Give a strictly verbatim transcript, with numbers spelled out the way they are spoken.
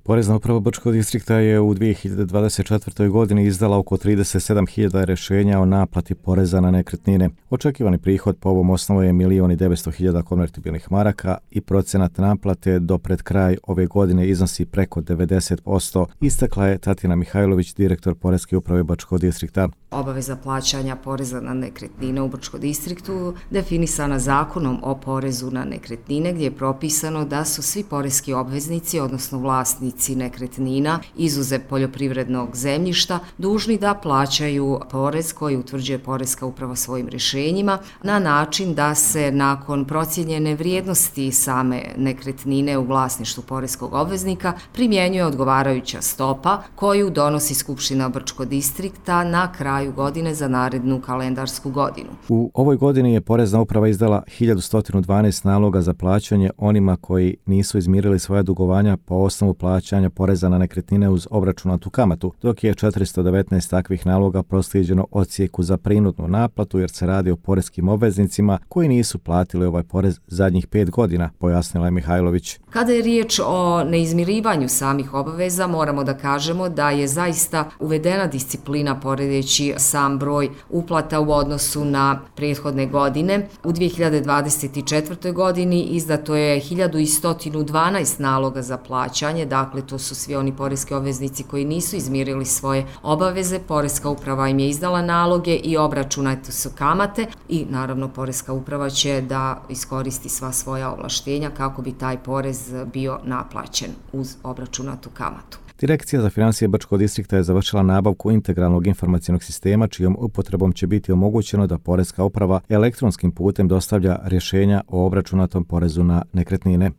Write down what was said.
Porezna uprava Brčkog distrikta je u dvije hiljade dvadeset četvrtoj. godini izdala oko trideset sedam hiljada rješenja o naplati poreza na nekretnine. Očekivani prihod po ovom osnovu je milion i devetsto hiljada konvertibilnih maraka i procenat naplate do pred kraj ove godine iznosi preko devedeset posto, istakla je Tatjana Mihajlović, direktor Poreske uprave Brčkog distrikta. Obaveza plaćanja poreza na nekretnine u Brčkom distriktu definisana Zakonom o porezu na nekretnine, gdje je propisano da su svi poreski obveznici, odnosno vlasnici nekretnina, izuzev poljoprivrednog zemljišta, dužni da plaćaju porez koji utvrđuje Poreska uprava svojim rješenjima na način da se nakon procijenjene vrijednosti same nekretnine u vlasništvu poreskog obveznika primjenjuje odgovarajuća stopa koju donosi Skupština Brčkog distrikta na kraju godine za narednu kalendarsku godinu. U ovoj godini je Porezna uprava izdala hiljadu sto dvanaest naloga za plaćanje onima koji nisu izmirili svoja dugovanja po osnovu plaćanja poreza na nekretnine uz obračunatu kamatu, dok je četiristo devetnaest takvih naloga proslijeđeno odsjeku za prinudnu naplatu jer se radi o poreskim obveznicima koji nisu platili ovaj porez zadnjih pet godina, pojasnila je Mihajlović. Kada je riječ o neizmirivanju samih obaveza, moramo da kažemo da je zaista uvedena disciplina poredeći sam broj uplata u odnosu na prethodne godine. U dvije hiljade dvadeset četvrtoj. godini izdato je hiljadu sto dvanaest naloga za plaćanje, dakle to su svi oni poreski obveznici koji nisu izmirili svoje obaveze. Poreska uprava im je izdala naloge i obračunate su kamate i naravno Poreska uprava će da iskoristi sva svoja ovlaštenja kako bi taj porez bio naplaćen uz obračunatu kamatu. Direkcija za financije Brčkog distrikta je završila nabavku integralnog informacionog sistema čijom upotrebom će biti omogućeno da Poreska uprava elektronskim putem dostavlja rješenja o obračunatom porezu na nekretnine.